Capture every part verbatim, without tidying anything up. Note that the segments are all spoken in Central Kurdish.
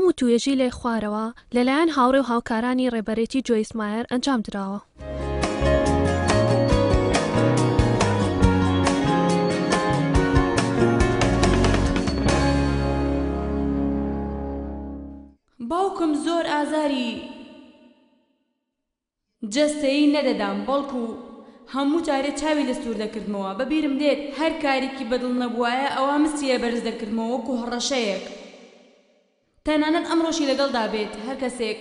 ئەم وتوێژەی لای خوارەوە لەلایەن هاوڕێ و هاوکارانی ڕێبەرێتی جۆیس مایەر ئەنجام دراوە. باوکم زۆر ئازاری جەستەیی نەدەدام، بەڵکو هەموو جارێ چاوی لە سوور دەکردمەوە. بەبیرم دێت هەر کارێکی بەدڵ نەبوایە ئەوە مستی لە بەرز دەکردمەوە وەکو هەڕەشەیەک. تەنانەت ئەمڕۆشی لەگەڵدا بێت هەر کەسێک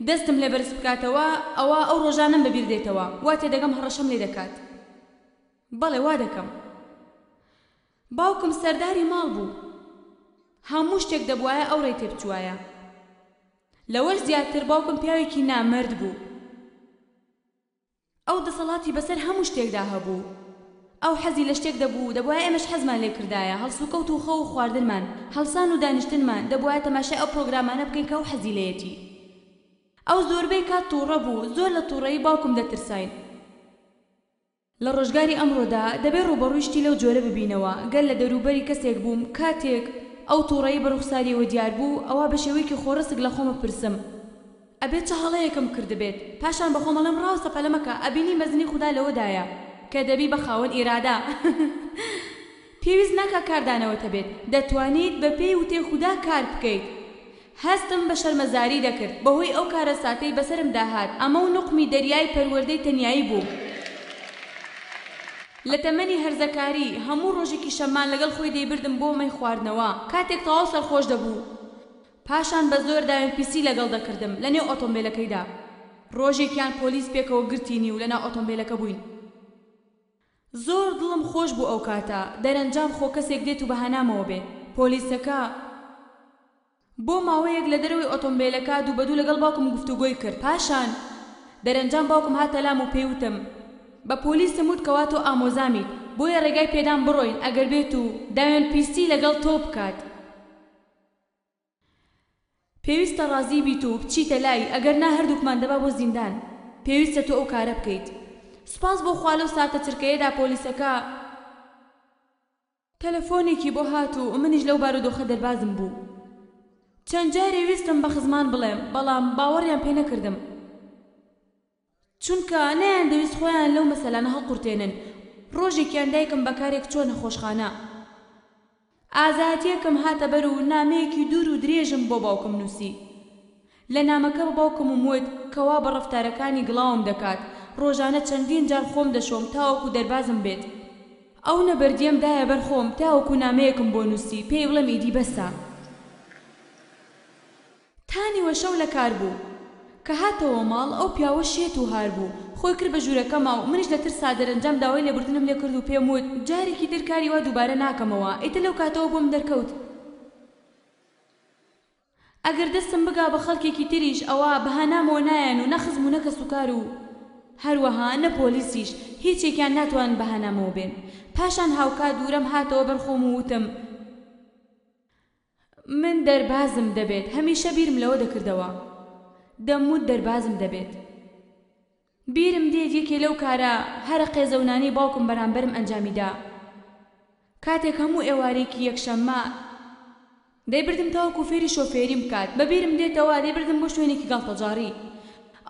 دەستم لێ بەرز بکاتەوە ئەوە ئەو ڕۆژانەم بەبیر دێتەوە، وا تێدەگەم هەڕەشەم لێ دەکات. بەڵێ وا دەکەم. باوکم سەرداری ماڵ بوو، هەموو شتێک دەبوایە ئەو ڕێی تێبچوایە. لەوەش زیاتر باوکم پیاوێکی نامەرد بوو. ئەو دەسەڵاتی بەسەر هەموو شتێکدا هەبوو. ئەو حەزی لە شتێک دەبوو، دەبوایە ئێمەش حەزمان لێ کردایە. هەڵسوکەوت و خەو و خواردنمان، هەڵسان و دانیشتنمان، دەبوایە تەماشای ئەو پرۆگرامانە بکەین کە ئەو حەزی لێیەتی. ئەو زۆربەی کات تووڕە بوو، زۆر لە تووڕەیی باوکم دەترساین. لە ڕۆژگاری ئەمڕۆدا دەبێ ڕووبەڕووی شتی لەو جۆرە ببینەوە. گەر لە دەوروبەری کەسێک بووم کاتێک ئەو تووڕەیی بە ڕوخساریەوە دیار بوو، ئەوا بە شێوەیەکی خۆڕسک لە خۆم بپرسم ئەبێ چ هەڵەیەکم کردبێت. پاشان بە خۆم ئەڵێم ڕاوسە پەلە مەکە، ئەبینی مەزنی خودا لەوەدایە کە دەبی بە خاوەن ئیرادە. پێویست ناکا کاردانەوەت هەبێت، دەتوانیت بە پێی وتەی خودا کار بکەیت. هەستم بە شەرمەزاری دەکرد بەهۆی ئەو کارەساتەی بەسەرمدا هات. ئەمە و نوقمی دەریای پەروەردەی تەنیایی بووم. لە تەمەنی هەرزەکاری هەموو ڕۆژێکی شەممان لەگەڵ خۆی دەیبردم بۆ مەی خواردنەوە. کاتێک تەواو سەرخۆش دەبوو، پاشان بە زۆر داوێن پیسی لەگەڵ دەکردم لەنێو ئۆتۆمبیلەکەیدا. ڕۆژێکیان پۆلیس پێکەوە گرتینی و لەناو ئۆتۆمبیلەکە بووین. زۆر دڵم خۆش بوو ئەو کاتە. دەرەنجام خۆ کەسێک دێت و بەهانامەوە بێ. پۆلیسەکە بۆ ماوەیەک لە دەرەوەی ئۆتۆمبیلەکە دوو بە دوو لەگەڵ باوکم گفتوگۆی کرد. پاشان دەرەنجام باوکم هاتە لام و پێیوتم بە پۆلیسم وت کەوا تۆ ئامۆزامیت، بۆیە ڕێگای پێدام بڕۆین ئەگەر بێت و داوێن پیسی لەگەڵ تۆ بکات. پێویستە ڕازی بیت و بچیتە لای، ئەگەر نا هەردووکمان دەبا بۆ زیندان. پێویستە تۆ ئەو کارە بکەیت. سوپاس بۆ خوا لەو ساتە چرکەیەدا پۆلیسەکە تەلەفۆنێکی بۆ هات و منیش لەو بارودۆخە دەربازم بوو. چەند جارێ ویستم بە خزمان بڵێم، بەڵام باوەڕیان پێ نەکردم، چونکە نەیاندەویست خۆیان لەو مەسەلانە هەڵقورتێنن. ڕۆژێکیان دایکم بە کارێک چووە نەخۆشخانە. ئازایەتیەکم هاتە بەر و نامەیەکی دوور و درێژم بۆ باوکم نووسی. لە نامەکە بە باوکمم وت کەوا بە ڕەفتارەکانی گڵاوم دەکات. ڕۆژانە چەندین جار خۆم دەشۆم تاوەکو دەربازم بێت. ئەو نەبەردیەم دایە بەر خۆم تاوەکو نامەیەکم بۆ نووسی پێی بڵێم ئیدی بەسە. تا نیوە شەو لە کار بوو. کە هاتەوە ماڵ ئەو پیاوە شێت و هار بوو. خۆی کرد بە ژوورەکەما و منیش لە ترسا دەرەنجام داوای لێبوردنم لێ کرد و پێم وت جارێکی تر کاری وا دووبارە ناکەمەوە. ئیتر لەو کاتەوە بۆم دەرکەوت ئەگەر دەستم بگا بە خەڵکێکی تریش ئەوە بەهانامەوە نایەن و نە خزم و نە کەسوکار و هەروەها نە پۆلیسیش هیچێکیان ناتوانن بەهانامەوە بێن. پاشان هاوکات دوورەم هاتەوە بەرخۆم و وتم من دەربازم دەبێت. هەمیشە بیرم لەوە دەکردەوە، دەموت دەربازم دەبێت. بیرم دێت یەکێ لەو کارە هەرە قێزەونانەی باوکم بەرامبەرم ئەنجامیدا. کاتێک هەموو ئێوارێکی یەکشەممە دەیبردم تاوەکو فێری شۆفێریم بکات. بەبیرم دێتەوە دەیبردم بۆ شوێنێکی گاڵتەجاڕی.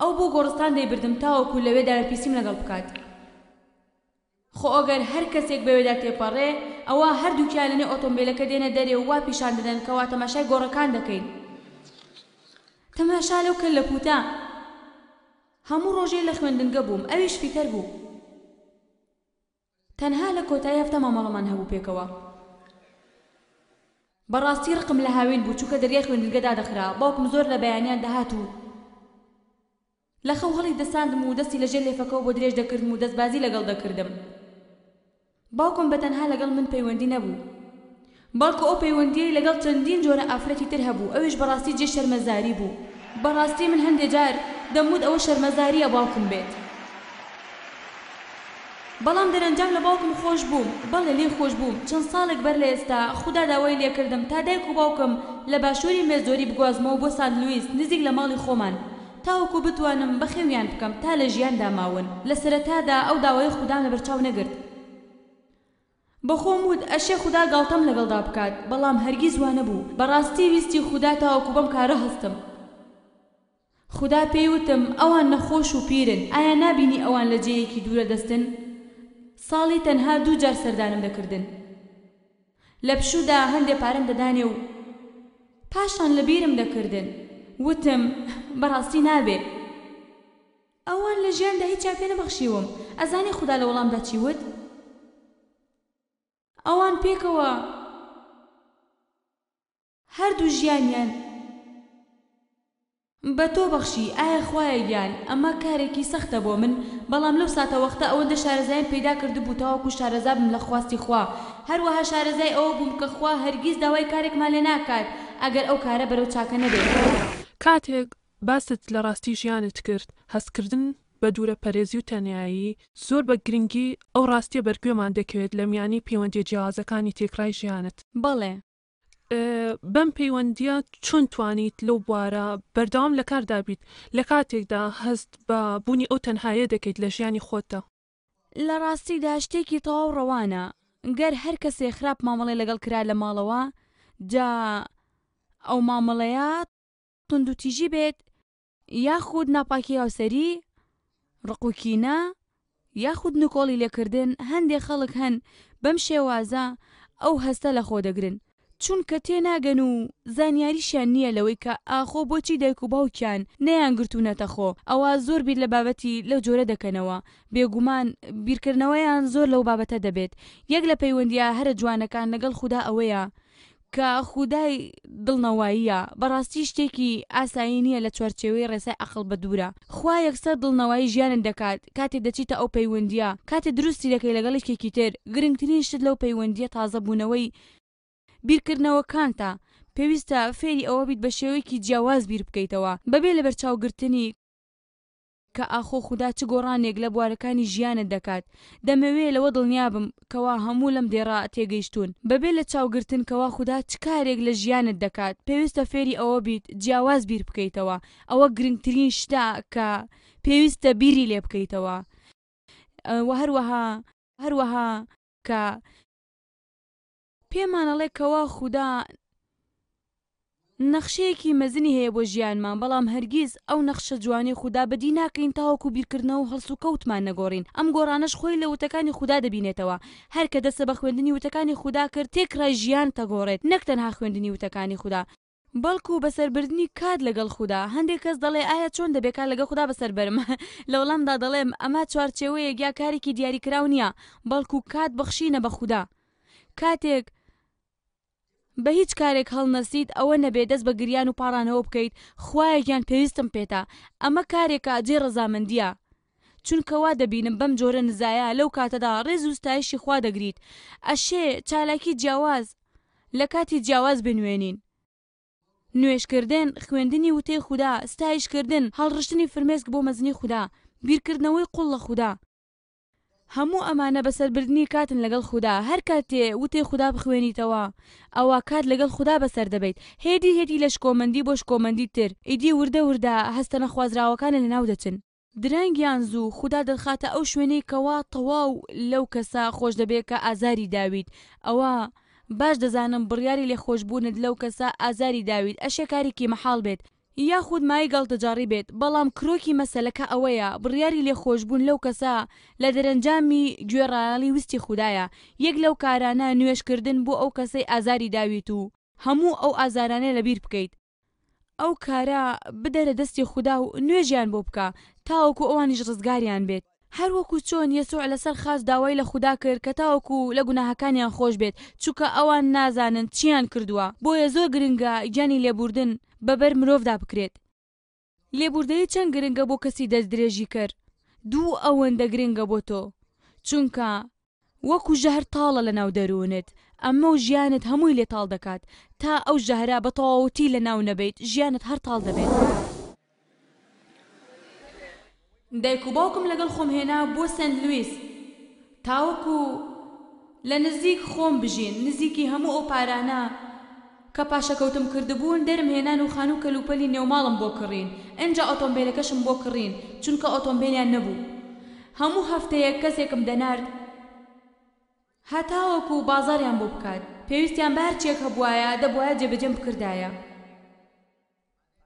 ئەو بۆ گۆڕستان دەیبردم تاوەکو لەوێ داوێنپیسیم لەگەڵ بکات. خۆ ئەگەر هەر کەسێک بەوێدا تێپەڕێ ئەوە هەردووکیان لەنێو ئۆتۆمبیلەکە دێنە دەرێ و وا پیشان دەدەن کەوا تەماشای گۆڕەکان دەکەین. تەماشا لەو کەللەپووتە. هەموو ڕۆژێ لە خوێندنگە بووم، ئەویش فیتەر بوو. تەنها لە کۆتایی هەفتە مامەڵەمان هەبوو پێکەوە. بەڕاستی ڕقم لە هاوین بوو، چونکە دەریای خوێندنگە دادەخرا. باوکم زۆر لە بەیانیان دەهات و لە خەو هەڵی دەساندم و دەستی لەژێر لێفەکەوە بۆ درێژ دەکردم و دەستبازی لەگەڵ دەکردم. باوکم بەتەنها لەگەڵ من پەیوەندی نەبوو، بەڵکو ئەو پەیوەندیەی لەگەڵ چەندین جۆرە ئافرەتی تر هەبوو. ئەویش بەڕاستی جێ شەرمەزاری بوو. بەڕاستی من هەندێ جار دەموت ئەوە شەرمەزاریە باوکم بێت، بەڵام دەرەنجام لە باوکم خۆش بووم. بەڵێ لێی خۆش بووم. چەند ساڵێک بەر لە ئێستا خودا داوای لێکردم تا دایک و باوکم لە باشووری مێزۆری بگوازمەوە بۆ سانت لویس نزیک لە ماڵی خۆمان، تاوەکو بتوانم بەخێویان بکەم تا لە ژیاندا ماون. لە سەرەتادا ئەو داوای خودام لەبەرچاو نەگرت، بەخۆم وت ئەشێ خودا گاڵتەم لەگەڵدا بکات، بەڵام هەرگیز وا نەبوو. بەڕاستی ویستی خودا تاوەکو بەم کارە هەستم. خودا پێی وتم ئەوان نەخۆش و پیرن، ئایا نابینی ئەوان لە جێیەکی دوورە دەستن؟ ساڵی تەنها دوو جار سەردانم دەکردن. لە پشوودا هەندێ پارەم دەدانێ و پاشان لەبیرم دەکردن. وتم بەڕاستی نابێ. ئەوان لە ژیاندا هیچیان پێ نەبەخشیوم. ئەزانی خودا لە وەڵامدا چی وت؟ ئەوان پێکەوە هەردوو ژیانیان بە تۆ بەخشی. ئایا خوایە گیان ئەمە کارێکی سەختە بۆ من، بەڵام لەو ساتەوەختە ئەوەندە شارەزایم پەیدا کردبوو تاوەکو شارەزا بم لە خواستی خوا. هەروەها شارەزای ئەوە بووم کە خوا هەرگیز داوای کارێکمان لێ ناکات ئەگەر ئەو کارە بەرەو چاکە نەبێت. کاتێک باست لە ڕاستی ژیانت کرد، هەستکردن بە دوورە پەرێزی و تەنیایی زۆر بە گرنگی ئەو ڕاستیە بەرگوێمان دەکەوێت لە میانی پەیوەندیە جیاوازەکانی تێکڕای ژیانت. بەڵێ. بەم پەیوەندیە چۆن توانیت لەو بوارە بەردەوام لە کاردا بیت لە کاتێکدا هەست بە بوونی ئەو تەنهایە دەکەیت لە ژیانی خۆتدا؟ لە ڕاستیدا شتێکی تەواو ڕەوانە گەر هەر کەسێ خراپ مامەڵەی لەگەڵ کرا لە ماڵەوە، جا ئەو مامەڵەیە توندوتیژی بێت یاخود ناپاکی هاوسەری، ڕق و کینە یاخود نکۆڵی لێکردن. هەندێک خەڵک هەن بەم شێوازە ئەو هەستە لەخۆ دەگرن، چونکە تێناگەن و زانیاریشیان نییە لەوەی کە ئاخۆ بۆچی دایک و باوکیان نەیانگرتوونەتە خۆ. ئەوە زۆر بیر لە بابەتی لەو جۆرە دەکەنەوە. بێگومان بیرکردنەوەیان زۆر لەو بابەتە دەبێت. یەک لە پەیوەندیە هەرە جوانەکان لەگەڵ خودا ئەوەیە کە خودای دڵنەواییە. بەڕاستی شتێکی ئاسایی نییە لە چوارچێوەی ڕێسای عەقڵ بە دوورە. خوا یەکسەر دڵنەوایی ژیانت دەکات کاتێ دەچیتە ئەو پەیوەندیە، کاتێ دروستی دەکەی لەگەڵ یەکێکی تر. گرنگترین شت لەو پەیوەندیە تازە بوونەوەی بیرکردنەوەکانتە. پێویستە فێری ئەوە بیت بە شێوەیەکی جیاواز بیر بکەیتەوە، بەبێ لەبەرچاوگرتنی کە ئاخۆ خودا چ گۆڕانێک لە بوارەکانی ژیانت دەکات. دەمەوێ لەوە دڵنیابم کەوا هەموو لەم دێڕە تێگەیشتوون. بەبێ لە چاوگرتن کەوا خودا چ کارێک لە ژیانت دەکات، پێویستە فێری ئەوە بیت جیاواز بیر بکەیتەوە. ئەوە گرنگترین شتە کە پێویستە بیری لێ بکەیتەوە. و هەروەها هەروەها کە پێمانەڵێ کەوا خودا نەخشەیەکی مەزنی هەیە بۆ ژیانمان، بەڵام هەرگیز ئەو نەخشە جوانی خودا بەدی ناکەین تاوەکو بیرکردنەوە و هەڵسوکەوتمان نەگۆڕین. ئەم گۆڕانەش خۆی لە وتەکانی خودا دەبینێتەوە. هەر کە دەستە بە خوێندنی وتەکانی خودا کرد، تێکڕای ژیان تەگۆڕێت، نەک تەنها خوێندنی وتەکانی خودا، بەڵکو بەسەربردنی کات لەگەڵ خودا. هەندێک کەس دەڵێ ئایا چۆن دەبێت کات لەگەڵ خودا بەسەر بەرم؟ لە وەڵامدا دەڵێم ئەمە چوارچێوەیەک یا کارێکی دیاریکراو نییە، بەڵکو کات بەخشینە بە خودا. کاتێک بە هیچ کارێک هەڵنەسیت ئەوە نەبێت دەست بە گریان و پاڕانەوە بکەیت خوایە گیان پێویستم پێتە. ئەمە کارێکە جێ ڕەزامەندییە، چونکە وا دەبینم بەم جۆرە نزایە لەو کاتەدا ڕێز و ستایشی خوا دەگریت. ئەشێ چالاکی جیاواز لە کاتی جیاواز بنوێنین. نوێژکردن، خوێندنی وتەی خودا، ستایشکردن، هەڵڕشتنی فرمێسک بۆ مەزنی خودا، بیرکردنەوەی قوڵ لە خودا، هەموو ئەمانە بەسەربردنی کاتن لەگەڵ خودا. هەر کاتێ وتەی خودا بخوێنیتەوە ئەوە کات لەگەڵ خودا بەسەر دەبەیت. هێدی هێدی لە شکۆمەندی بۆ شکۆمەندی تر، ئیدی وردە وردە هەستە نەخوازراوەکانە لەناو دەچن. درەنگ یان زوو خودا دەتخاتە ئەو شوێنەی کەوا تەواو لەو کەسە خۆش دەبێت کە ئازاری داویت. ئەوە باش دەزانم بڕیاری لێخۆشبوونت لەو کەسە ئازاری داویت ئەشێ کارێکی مەحاڵ بێت یاخود مایەی گاڵتەجاڕی بێت، بەڵام کرۆکی مەسەلەکە ئەوەیە بڕیاری لێخۆشبوون لەو کەسە لە دەرەنجامی گوێڕایەڵی ویستی خودایە. یەک لەو کارانە نوێژکردن بۆ ئەو کەسەی ئازاری داویت و هەموو ئەو ئازارانە لەبیر بکەیت. ئەو کارە بدەرە دەستی خودا و نوێژیان بۆ بکە تاوەکو ئەوانیش ڕزگاریان بێت. هەروەکو چۆن یەسوع لەسەر خاچ داوای لە خودا کرد کە تاوەکو لە گوناهەکانیان خۆش بێت، چونکە ئەوان نازانن چیان کردووە. بۆیە زۆر گرنگە گیانی لێبوردن بەبەر مرۆڤدا بکرێت. لێبوردەیی چەند گرنگە بۆ کەسی دەستدرێژیکەر، دوو ئەوەندە گرنگە بۆ تۆ، چونکە وەکو ژەهر تاڵە لەناو دەروونت، ئەمە و ژیانت هەمووی لێ تاڵ دەکات. تا ئەو ژەهرە بە تەواوەتی لەناو نەبەیت ژیانت هەر تاڵ دەبێت. دایک و باوکم لەگەڵ خۆم هێنا بۆ سەنت لویس تاوەکو لە نزیک خۆم بژین. نزیکی هەموو ئەو پارانە کە پاشەکەوتم کردبوون دەرم هێنان و خانوو کەلوپەلی نێوماڵم بۆ کڕین، ئینجا ئۆتۆمبیلەکەشم بۆ کڕین چونکە ئۆتۆمبیلیان نەبوو. هەموو هەفتەیەک کەسێکم دەنارد هەتاوەکو بازاڕیان بۆ بکات. پێویستیان بە هەرچیەک هەبوایە دەبوایە جێبەجێم بکردایە،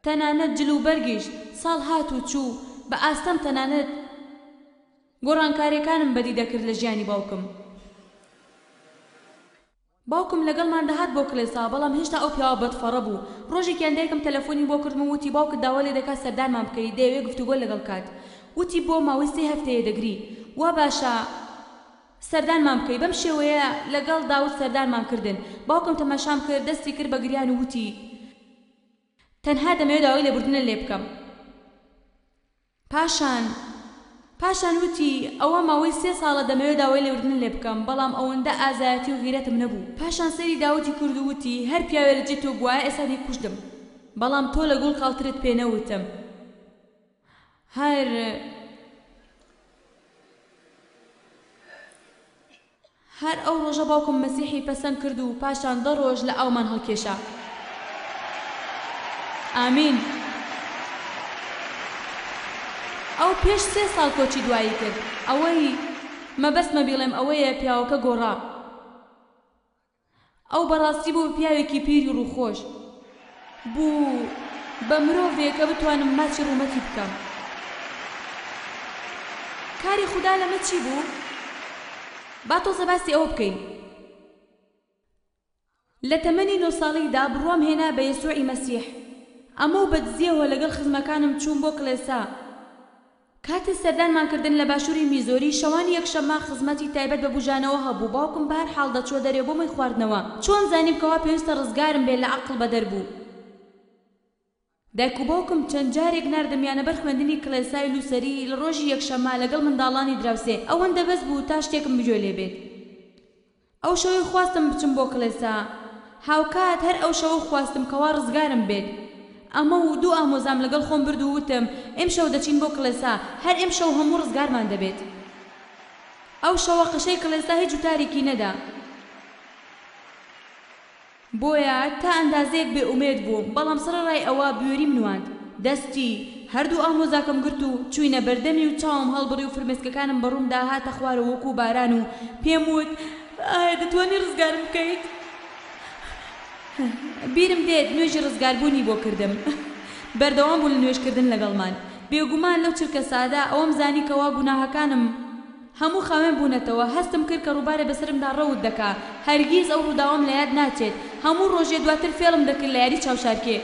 تەنانەت جل و بەرگیش. ساڵ هات و چوو بە ئاستەم تەنانەت گۆڕانکاریەکانم بەدی دەکرد لە ژیانی باوکم. باوکم لەگەڵمان دەهات بۆ کڵێسا، بەڵام هێشتا ئەو پیاوە بەدفەڕە بوو. ڕۆژێکیان دایکم تەلەفۆنی بۆ کردم و وتی باوکت داوا لێ دەکات سەردانمان بکەی، دەیەوێ گفتوگۆ لەگەڵ کات. وتی بۆ ماوەی سێ هەفتەیە دەگری، وا باشە سەردانمان بکەی. بەم شێوەیە لەگەڵ داود سەردانمان کردن. باوکم تەماشام کرد، دەستی کرد بە گریان و وتی تەنها دەمەوێت داوای لێبوردنت لێ بکەم. پاشان پاشان وتی ئەوە ماوەی سێ ساڵە دەمەوێت داوای لێبوردنت لێ بکەم، بەڵام ئەوەندە ئازایەتی و غیرەتم نەبوو. پاشان سەیری داودی کرد و وتی هەر پیاوێ لە جێ تۆ بوایە ئێستا دەیکوشتم، بەڵام تۆ لە گوڵ کاڵترت پێ نەوتم. هەر هەر ئەو ڕۆژە باوکم مەسیحی پەسەند کرد و پاشان دە ڕۆژ لە ئاومان هەڵکێشا. ئامین. ئەو پێش سێ ساڵ کۆچی دوایی کرد. ئەوەی مەبەستمە بیڵێم ئەوەیە پیاوەکە گۆڕا. ئەو بەڕاستی بوو بە پیاوێکی پیری ڕووخۆش، بوو بە مرۆڤێک کە بتوانم ماچی ڕوومەتی بکەم. کاری خودا لەمە چی بوو؟ با تۆزە باسی ئەوە بکەین. لە تەمەنی نۆ ساڵیدا بڕوام هێنا بە یەسوعی مەسیح. ئەمە و بەدزیەوە لەگەڵ خزمەکانم چووم بۆ کڵێسا. کاتێ سەردانمان کردن لە باشووری میزۆری، شەوانی یەکشەممە خزمەتی تایبەت بە بوژانەوە هەبوو. باوکم بە هەر حاڵ دەچووە دەرێ بۆ مەی خواردنەوە. چۆن زانیم کەوا پێویستە ڕزگارم بێ لە عەقڵ بەدەر بوو. دایک و باوکم چەند جارێک ناردمیانە بەر خوێندنی کڵێسای لوسەری لە ڕۆژی یەکشەممە لەگەڵ منداڵانی دراوسێ. ئەوەندە بەس بوو تا شتێکم بگوێ لێ بێت. ئەو شەوەی خواستم بچم بۆ کڵێسا، هاوکات هەر ئەو شەوە خواستم کەوا ڕزگارم بێت. ئەمە و دوو ئامۆزام لەگەڵ خۆم برد و وتم ئێمشەو دەچین بۆ کڵێسا، هەر ئێمشەو هەموو ڕزگارمان دەبێت. ئەو شەوە قەشەی کڵێسا هیچ وتارێکی نەدا، بۆیە تا ئەندازەیەک بێئومێد بووم، بەڵام سەرەڕای ئەوە بوێریم نواند. دەستی هەردوو ئامۆزاکەم گرت و چووینە بەردەمی و چاوم هەڵبڕی و فرمێسکەکانم بە ڕوومدا هاتە خوارەوە وەکوو باران و پێم وت ئایا دەتوانی ڕزگارم بکەیت؟ بیرم دێت نوێژی ڕزگاربوونی بۆ کردم. بەردەوام بوو لە نوێژکردن لەگەڵمان. بێگومان لەو چرکە سادە ئەوەم زانی کەوا گوناهەکانم هەموو خاوێن بوونەتەوە. هەستم کرد کە ڕووبارێ بەسەرمدا ڕەوت دەکا. هەرگیز ئەو ڕووداوەم لە یاد ناچێت. هەموو ڕۆژێ دواتر فێڵم دەکرد لە یاری چاوشارکێ.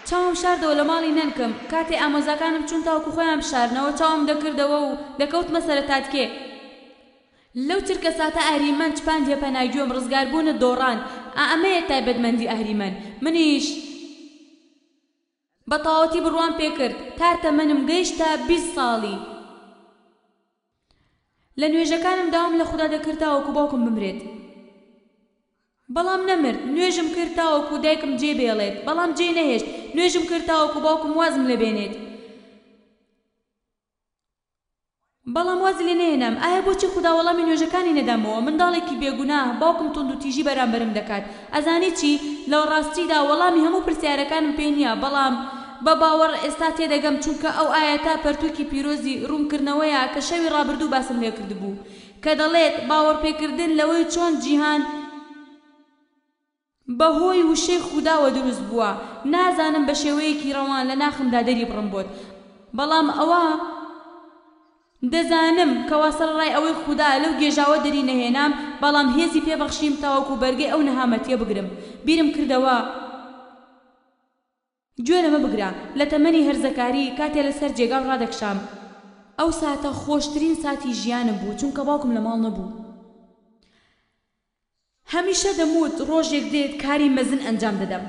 چاوم شاردەوە لە ماڵی نەنکم. کاتێ ئامۆزاکانم چوون تاوەکو خۆیان بشارنەوە، چاوم دەکردەوە و دەکەوتمە سەرەتاتکێ. لەو چرکە ساتە ئەهریمەن چپاندیە پەناگوێم، ڕزگاربوونت دۆڕاند. ئا ئەمەیە تایبەتمەندی ئەهریمەن. منیش بە تەواوەتی بڕوام پێکرد تا تەمەنم گەیشتە بیست ساڵی. لە نوێژەکانم داوام لە خودا دەکرد تاوەکو باوکم بمرێت، بەڵام نەمرد. نوێژم کرد تاوەکو دایکم جێ بێڵێت، بەڵام جێ نەهێشت. نوێژم کرد تاوەکو باوکم وازم لێ بێنێت، بەڵام وازی لێ نەهێنام. ئایا بۆچی خودا وەڵامی نوێژەکانی نەدامەوە؟ منداڵێکی بێگوناه، باوکم توندوتیژی بەرامبەرم دەکات. ئەزانی چی؟ لە ڕاستیدا وەڵامی هەموو پرسیارەکانم پێ نییە، بەڵام بە باوەڕ ئێستا تێدەگەم، چونکە ئەو ئایەتە پەرتووکی پیرۆزی ڕوونکردنەوەیە کە شەوی ڕابردوو باسم لێ کردبوو، کە دەڵێت باوەڕپێکردن لەوەی چۆن جیهان بەهۆی وشەی خوداوە دروست بووە. نازانم بە شێوەیەکی ڕەوان لە ناخمدا دەری بڕم بۆت، بەڵام ئەوە دەزانم کەوا سەرەڕای ئەوەی خودا لەو گێژاوە دەری نەهێنام، بەڵام هێزی پێبەخشیم تاوەکو بەرگەی ئەو نەهامەتیە بگرم. بیرم کردەوە گوێ لەمە بگرە، لە تەمەنی هەرزەکاری کاتێ لەسەر جێگاو ڕادەکشام، ئەو ساتە خۆشترین ساتی ژیانم بوو، چونکە باوکم لە ماڵ نەبوو. هەمیشە دەموت ڕۆژێک دێت کاری مەزن ئەنجام دەدەم.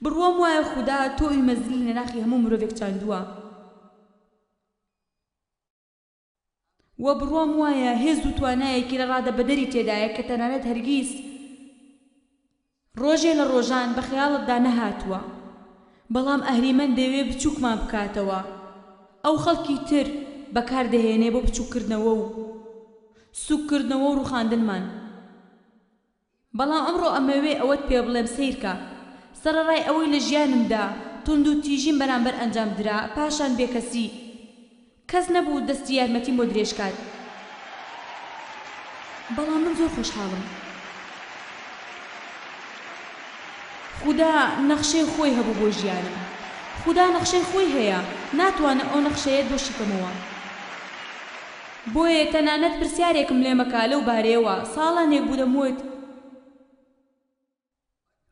بڕوام وایە خودا تۆوی مەزنی لە ناخی هەموو مرۆڤێک چاندووە، و بڕوام وایە هێز و توانایەکی لە ڕادەبەدەری تێدایە کە تەنانەت هەرگیز ڕۆژێ لە ڕۆژان بە خەیاڵتدا نەهاتووە. بەڵام ئەهریمەن دەیەوێ بچووکمان بکاتەوە. ئەو خەڵکی تر بەکاردەهێنێ بۆ بچووککردنەوە و سوککردنەوە و ڕووخاندنمان. بەڵام ئەمڕۆ ئەمەوێ ئەوەت پێ بڵێم، سەیرکە، سەرەڕای ئەوەی لە ژیانمدا توند و تیژیم بەرامبەر ئەنجام درا، پاشان بێکەسی، کەس نەبوو دەستی یارمەتیم بۆ درێژ کات. بەڵام من زۆر خۆشحاڵم. خودا نەخشەی خۆی هەبوو بۆ ژیانم. خودا نەخشەی خۆی هەیە، ناتوانم ئەو نەخشەیەت بۆ شیکەمەوە. بۆیە تەنانەت پرسیارێکم لێ مەکە لەو بارەیەوە. ساڵانێک بوو دەموت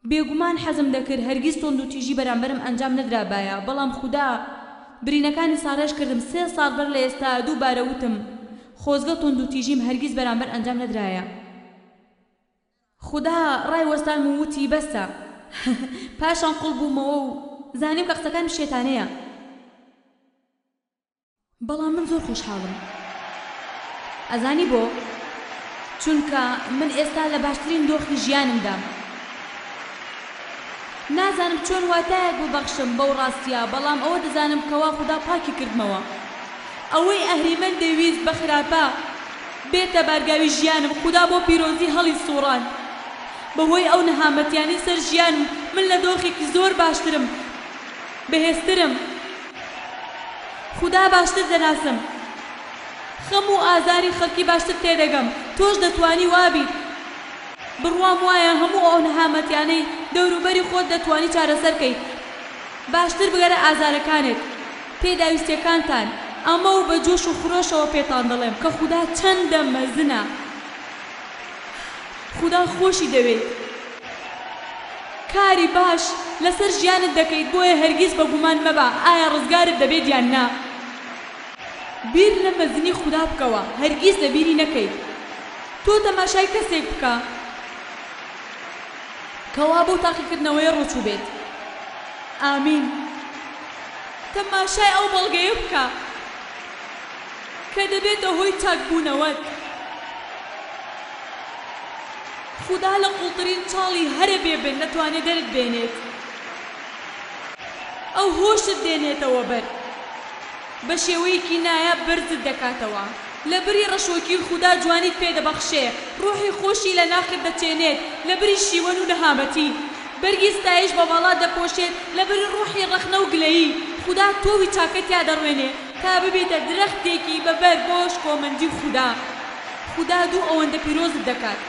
بێگومان حەزم دەکرد هەرگیز توندوتیژی بەرامبەرم ئەنجام نەدرابایە، بەڵام خودا برینەکانی ساڕێژ کردم. سێ ساڵ بەر لە ئێستا دووبارە وتم خۆزگە توندوتیژیم هەرگیز بەرامبەر ئەنجام نەدرایە. خودا ڕای وەستانم و وتی بەسە. پاشان قوڵ بوومەوە و زانیم کە قسەکانم شێتانەیە. بەڵام من زۆر خۆشحاڵم. ئەزانی بۆ؟ چونکە من ئێستا لە باشترین دۆخی ژیانمدام. نازانم چۆن واتایەک ببەخشم بەو ڕاستیە، بەڵام ئەوە دەزانم کەوا خودا پاکی کردمەوە. ئەوەی ئەهریمەن دەیویست بە خراپە بێتە بارگاوی ژیانم، خودا بۆ پیرۆزی هەڵی سوڕاند. بەهۆی ئەو نەهامەتیانەی سەر ژیانم من لە دۆخێکی زۆر باشترم، بەهێزترم. خودا باشتر دەناسم، خەم و ئازاری خەڵکی باشتر تێدەگەم. تۆش دەتوانی وابیت. بڕوام وایە هەموو ئەو نەهامەتیانەی دەوروبەری خۆت دەتوانی چارەسەرکەیت. باشتر بگەرە ئازارەکانت، پێداویستیەکانتان. ئەمە و بە جۆش و خرۆشەوە پێتان دەڵێم کە خودا چەندە مەزنە. خودا خۆشی دەوێت. کاری باش لەسەر ژیانت دەکەیت، بۆیە هەرگیز بە گومان مەبە ئایا ڕزگارت دەبێت یان نا. بیر لە مەزنی خودا بکەوە، هەرگیز لەبیری نەکەیت. تۆ تەماشای کەسێک بکە کەوا بۆ تاقیکردنەوەی ڕۆچوو بێت. ئامین. تەماشای ئەو بەڵگەیە بکە کە دەبێتە هۆی چاکبوونەوەت. خودا لە قوڵترین چاڵی هەرە بێبن دەتوانێت دەرت بێنێت. ئەو هۆشت دێنێتەوە بەر، بە شێوەیەکی نایاب بەرزت دەکاتەوە. لە بری ڕەشۆکی خودا جوانیت پێدەبەخشێ، ڕۆحی خۆشی لە ناخت دەچێنێت. لە بری شیوەن و نەهامەتی بەرگی ستایش بە باڵا دەپۆشێت. لە بری ڕۆحی ڕەخنە و گلەیی خودا تۆوی چاکەت تیا دەڕوێنێ تا ببیتە درەختێکی بەبەر بۆ شکۆمەندی خودا. خودا دوو ئەوەندە پیرۆزت دەکات.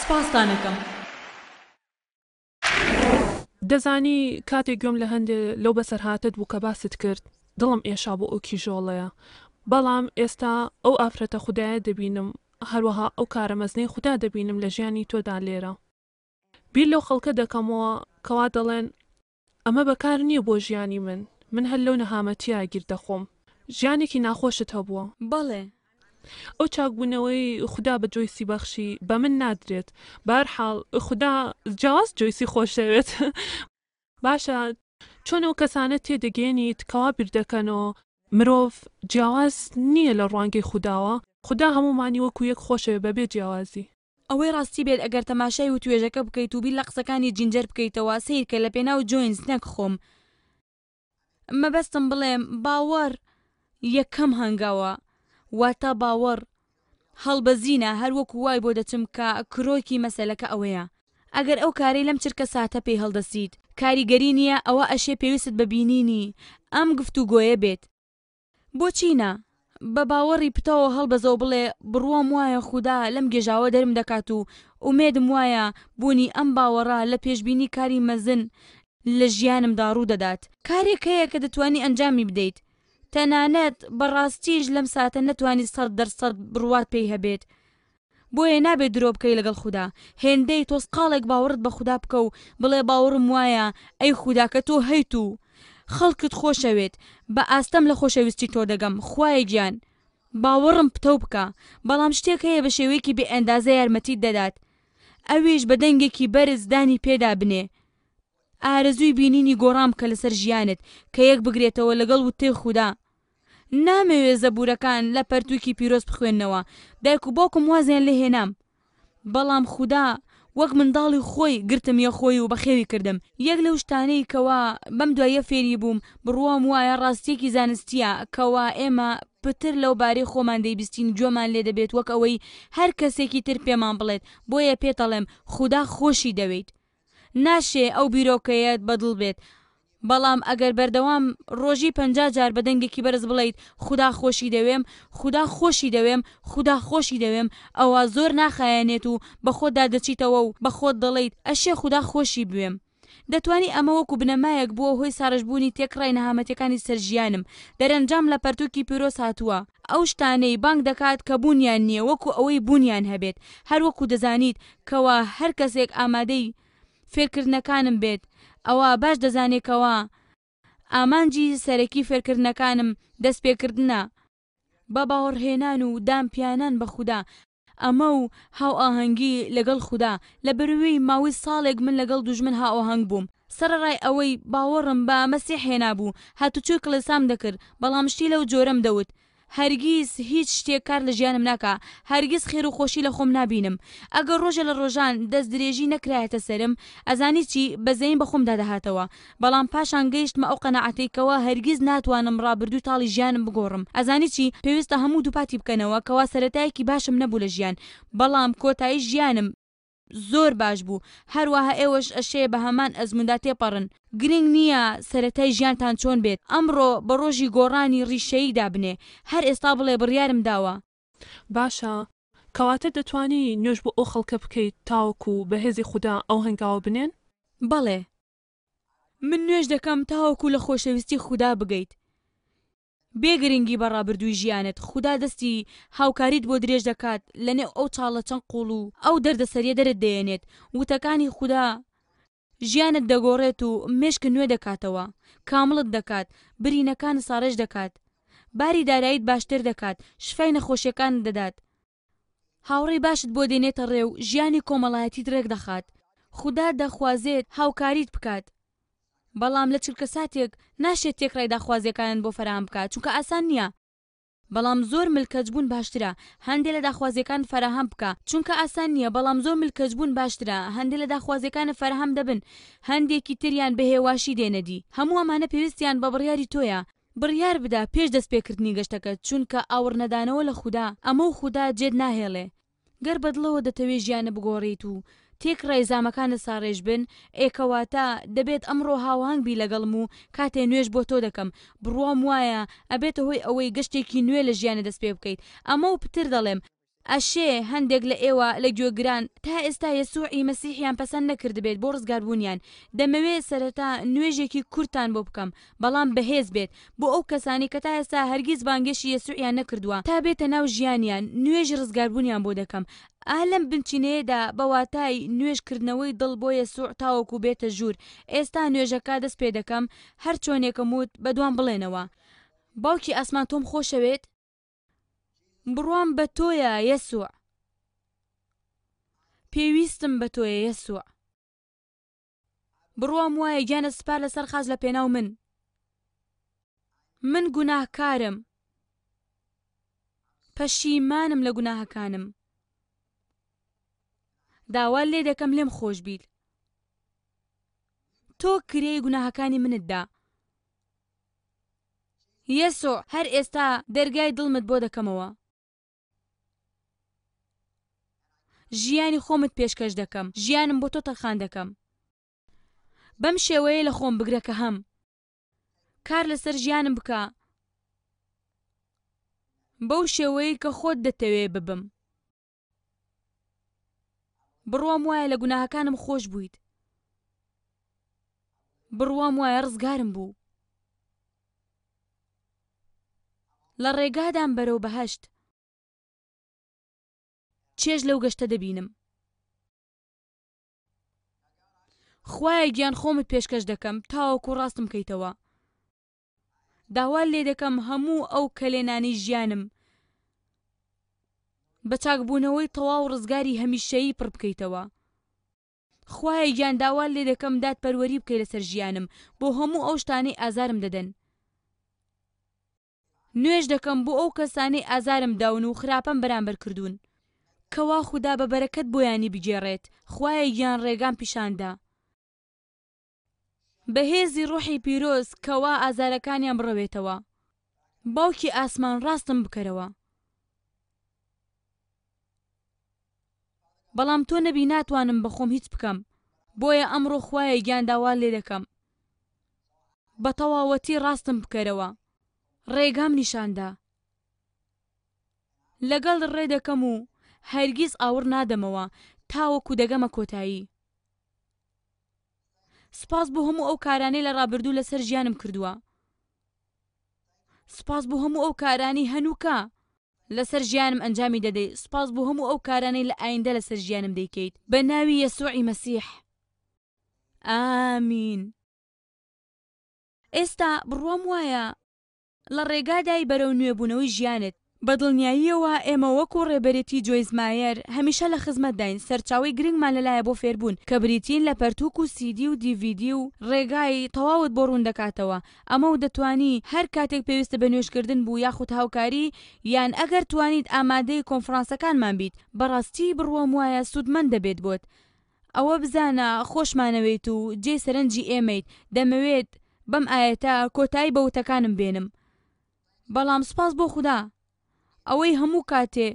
سپاستانەکەم. دەزانی کاتێک گوێم لە هەندێ لەو بەسەرهاتت بوو کە باست کرد، دڵم ئێشا بۆ ئەو کیژۆڵەیە. بەڵام ئێستا ئەو ئافرەتە خودایە دەبینم، هەروەها ئەو کارە مەزنەی خودا دەبینم لە ژیانی تۆدا لێرە. بیر لەو خەڵکە دەکەمەوە کەوا دەڵێن ئەمە بەکار نییە بۆ ژیانی من، من هەر لەو نەهامەتیە گیر دەخۆم. ژیانێکی ناخۆشت هەبووە. بەڵێ. ئەو چاکبوونەوەی خودا بە جۆیسی بەخشی بە من نادرێت. بەهەرحاڵ خودا جیاواز جۆیسی خۆشەوێت. باشە چۆن ئەو کەسانە تێدەگەێنیت کەوا بیر دەکەنەوە مرۆڤ جیاواز نییە لە ڕوانگەی خوداوە؟ خودا هەمومانی وەکو یەک خۆشەوێ بەبێ جیاوازی. ئەوەی ڕاستی بێت ئەگەر تەماشای و توێژەکە بکەیت و بیر لە قسەکانی جینجەر بکەیتەوە، سەیرکە لە پێناو جۆینس نەک خۆم. مەبەستم بڵێم باوەڕ یەکەم هەنگاوە، واتە باوەڕ هەڵبەزینە. هەروەکو وای بۆ دەچم کە کرۆکی مەسەلەکە ئەوەیە. ئەگەر ئەو کارەی لەم چرکە ساتە پێی هەڵدەسیت کاریگەری نییە، ئەوە ئەشێ پێویستت بە بینینی ئەم گفتوگۆیە بێت. بۆچی نا؟ بە باوەڕی پتەوە هەڵبەزەوە بڵێ بڕوام وایە خودا لەم گێژاوە دەرم دەکات و ئومێدم وایە بوونی ئەم باوەڕە لە پێشبینی کاری مەزن لە ژیانمدا ڕوو دەدات. کارێک هەیە کە دەتوانی ئەنجامی بدەیت، تەنانەت بەڕاستیش لەم ساتە نەتوانی سەد دەرسەد بڕوات پێی هەبێت. بۆیە نابێت درۆ بکەی لەگەڵ خودا. هێندەی تۆزقاڵێک باوەڕت بە خودا بکە و بڵێ باوەڕم وایە ئەی خودا کە تۆ هەیت و خەڵکت خۆشەوێت، بە ئاستەم لە خۆشەویستی تۆ دەگەم. خوایە گیان باوەڕم پتەو بکە. بەڵام شتێک هەیە بە شێوەیەکی بێ ئەندازە یارمەتیت دەدات، ئەویش بە دەنگێکی بەرز دانی پێدا بنێ. ئارەزووی بینینی گۆڕان بکە لەسەر ژیانت کە یەک بگرێتەوە لەگەڵ وتەی خودا. نامەوێ زەبورەکان لە پەرتووکی پیرۆز بخوێننەوە، دایک و باوکم وازیان لێهێنام، بەڵام خودا وەک منداڵی خۆی گرتم یە خۆی و بەخێوی کردم. یەک لەو شتانەی کەوا بەم دواییە فێری بووم، بڕوام وایە ڕاستیەکی زانستیە کەوا ئێمە پتر لەو بارەی خۆمان دەیبیستین گوێمان لێ دەبێت وەک ئەوەی هەر کەسێکی تر پێمان بڵێت. بۆیە پێتەڵێم خودا خۆشی دەوێیت. ناشێ ئەو بیرۆکەیەت بەدڵ بێت، بەڵام ئەگەر بەردەوام ڕۆژی پەنجا جار بە دەنگێکی بەرز بڵێیت خودا خۆشی دەوێم، خودا خۆشی دەوێم، خودا خۆشی دەوێم، ئەوا زۆر ناخایەنێت و بە خۆتدا دەچیتەوە و بە خۆت دەڵێیت ئەشێ خودا خۆشی بوێم. دەتوانی ئەمە وەکو بنەمایەک بووە هۆی ساڕێژبوونی تێکڕای نەهامەتیەکانی سەر ژیانم. دەرەنجام لە پەرتوکی پیرۆز هاتووە، ئەو شتانەی بانگ دەکات کە بوونیان نییە وەکو ئەوەی بوونیان هەبێت. هەروەکو دەزانیت کەوا هەر کەسێک ئامادەی فێرکردنەکانم بێت ئەوە باش دەزانێت کەوا ئامانجی سەرەکی فێرکردنەکانم دەستپێکردنە بە باوەڕهێنان و دانپیانان بە خودا، ئەمە و هاوئاهەنگی لەگەڵ خودا. لە بەروی ماوەی ساڵێک من لەگەڵ دوژمن هاوئاهەنگ بووم. سەرەڕای ئەوەی باوەڕم بە مەسیح هێنابوو، هاتوچۆی کڵێسام دەکرد، بەڵام شتی لەو جۆرەم دەوت. هەرگیز هیچ شتێک کار لە ژیانم ناکا، هەرگیز خێر و خۆشی لە خۆم نابینم. ئەگەر ڕۆژێ لە ڕۆژان دەست درێژی نەکرایەتە سەرم، ئەزانی چی، بەزەییم بە خۆمدا دەهاتەوە. بەڵام پاشان گەیشتمە ئەو قەناعەتەی کەوا هەرگیز ناتوانم ڕابردووی تاڵی ژیانم بگۆڕم. ئەزانی چی، پێویستە هەموو دووپاتی بکەنەوە کەوا سەرەتایەکی باشم نەبوو لە ژیان، بەڵام کۆتایی ژیانم زۆر باش بوو. هەروەها ئێوەش ئەشێ بە هەمان ئەزمووندا تێپەڕن. گرنگ نییە سەرەتای ژیانتان چۆن بێت، ئەمڕۆ بە ڕۆژی گۆڕانی ڕیشەیی دابنێ. هەر ئێستا بڵێ بڕیارم داوە. باشە، کەواتە دەتوانی نوێژ بۆ ئەو خەڵکە بکەیت تاوەکو بە هێزی خودا ئەو هەنگاوە بنێن؟ بەڵێ. من نوێژ دەکەم تاوەکو لە خۆشەویستی خودا بگەیت. بێ گرنگی بە ڕابردووی ژیانت، خودا دەستی هاوکاریت بۆ درێژ دەکات، لەنێو ئەو چاڵە چەند قوڵ و ئەو دەردەسەریە دەرت دەیەنێت. وتەکانی خودا ژیانت دەگۆڕێت و مێشکت نوێ دەکاتەوە، کامڵت دەکات، برینەکانت ساڕێژ دەکات، باری داراییت باشتر دەکات، شفای نەخۆشیەکانت دەدات، هاوڕێی باشت بۆ دێنێتە ڕێ و ژیانی کۆمەڵایەتیت ڕێک دەخات. خودا دەخوازێت هاوکاریت بکات، بەڵام لە چرکەساتێک ناشێت تێکڕای داخوازیەکانت بۆ فەراهەم بکات، چونکە ئاسان نییە. بەڵام زۆر ملکەچبوون باشترە هەندێ لە داخوازیەکانت فەراهەم بکە، چونکە ئاسان نییە. بەڵام زۆر ملکەچبوون باشترە هەندێ لە داخوازیەکانت فەراهەم دەبن، هەندێکی تریان بە هێواشی دێنەدی. هەموو ئەمانە پێویستیان بە بڕیاری تۆیە. بڕیار بدە پێش دەستپێکردنی گەشتەکەت، چونکە ئاوڕنەدانەوە لە خودا ئەمە و خودا جێت ناهێڵێ. گەر بەدڵەوە دەتەوێ ژیانە بگۆڕیت و تێکڕای زامەکانت ساڕێژ بن، ئێ کەواتە دەبێت ئەمڕۆ هاوهەنگ بی لەگەڵم و کاتێ نوێژ بۆ تۆ دەکەم، بڕوام وایە ئەبێتە هۆی ئەوەی گەشتێکی نوێ لە ژیانت دەست پێ بکەیت. ئەمە و پتر دەڵێم. ئەشێ هەندێک لە ئێوە لە گوێگران تا ئێستا یەسوعی مەسیحیان پەسەند نەکردبێت بۆ ڕزگاربوونیان. دەمەوێت سەرەتا نوێژێکی کورتتان بۆ بکەم، بەڵام بەهێز بێت، بۆ ئەو کەسانەی کە تا ئێستا هەرگیز بانگێشی یەسوعیان نەکردووە تا بێتە ناو ژیانیان، نوێژی ڕزگاربوونیان بۆ دەکەم. ئا لەم بنچینەیەدا بە واتای نوێژکردنەوەی دڵ بۆ یەسوع تاوەکو بێتە ژوور. ئێستا نوێژەکە دەست پێ دەکەم، هەر چۆنێکم وت بەدوام بڵێنەوە. باوکی ئاسمان تۆم خۆشەوێت؟ بڕوام بە تۆیە یەسوع. پێویستم بە تۆیە یەسوع. بڕوام وایە گیانت سپار لەسەر خاچ لە پێناو من. من گوناهکارم، پەشیمانم لە گوناهەکانم. داوا لێ دەکەم لێم خۆش بیت. تۆ کرێی گوناهەکانی منت دا. یەسوع، هەر ئێستا دەرگای دڵمت بۆ دەکەمەوە. ژیانی خۆمت پێشکەش دەکەم، ژیانم بۆ تۆ تەرخان دەکەم. بەم شێوەیە لە خۆم بگرە کە هەم. کار لەسەر ژیانم بکە بەو شێوەیە کە خۆت دەتەوێ ببم. بڕوام وایە لە گوناهەکانم خۆش بوویت. بڕوام وایە ڕزگارم بوو. لە ڕێگادام بەرەو بەهەشت. چێژ لەو گەشتە دەبینم. خوایە گیان خۆمت پێشکەش دەکەم تاوەکو ڕاستم کەیتەوە. داوا لێ دەکەم هەموو ئەو کەلێنانەی ژیانم بە چاکبوونەوەی تەواو ڕزگاری هەمیشەیی پڕ بکەیتەوە. خوایە گیان داوا لێ دەکەم دادپەروەری بکەی لەسەر ژیانم بۆ هەموو ئەو شتانەی ئازارم دەدەن. نوێژ دەکەم بۆ ئەو کەسانەی ئازارم داون و خراپەم بەرامبەر کردوون، کەوا خودا بە بەرەکەت بۆیانی بگێڕێت. خوایە گیان ڕێگام پیشاندا بەهێزی ڕۆحی پیرۆز کەوا ئازارەکانیان بڕەوێتەوە. باوکی ئاسمان ڕاستم بکەرەوە. بەڵام تۆ نەبی ناتوانم بەخۆم هیچ بکەم. بۆیە ئەمڕۆ خوایە گیان داوات لێ دەکەم بە تەواوەتی ڕاستم بکەرەوە، ڕێگام نیشاندا. لەگەڵ ڕێ دەکەم و هەرگیز ئاوڕ نادەمەوە تاوەکو دەگەمە کۆتایی. سوپاس بۆ هەموو ئەو کارانەی لە ڕابردوو لەسەر ژیانم کردووە. سوپاس بۆ هەموو ئەو کارانەی هەنووکە لەسەر ژیانم ئەنجامی دەدەیت. سوپاس بۆ هەموو ئەو کارانەی لە ئایندە لەسەر ژیانم دەیکەیت. بە ناوی یەسوعی مەسیح. ئامین. ئێستا بڕوام وایە لە ڕێگادای بەرەو نوێبوونەوەی ژیانت. بە دڵنیاییەوە ئێمە وەکو ڕێبەرێتی جۆیس مایەر هەمیشە لە خزمەتداین. سەرچاوەی گرنگمان لەلایە بۆ فێربوون کە بریتین لە پەرتوک و سیدی و دیڤیدی و ڕێگای تەواوت بۆ ڕوون دەکاتەوە. ئەمە و دەتوانی هەر کاتێک پێویستە بە نوێژکردن بوو یاخود هاوکاری، یان ئەگەر توانیت ئامادەی کۆنفرانسەکانمان بیت، بەڕاستی بڕوام وایە سوودمەند دەبێت بۆت. ئەوە بزانە خۆشمانەوێت و جێ سەرنجی ئێمەیت. دەمەوێت بەم ئایەتە کۆتایی بە وتەکانم بێنم. بەڵام سوپاس بۆ خودا ئەوەی هەموو کاتێ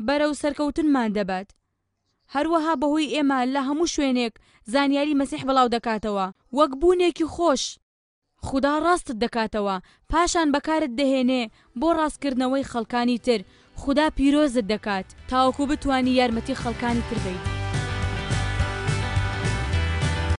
بەرەو سەرکەوتنمان دەبات. هەروەها بەهۆی ئێمە لە هەموو شوێنێک زانیاری مەسیح بڵاو دەکاتەوە وەک بوونێکی خۆش. خودا ڕاستت دەکاتەوە، پاشان بەکارت دەهێنێ بۆ ڕاستکردنەوەی خەڵکانی تر. خودا پیرۆزت دەکات تاوەکو بتوانی یارمەتی خەڵکانی تر بیت.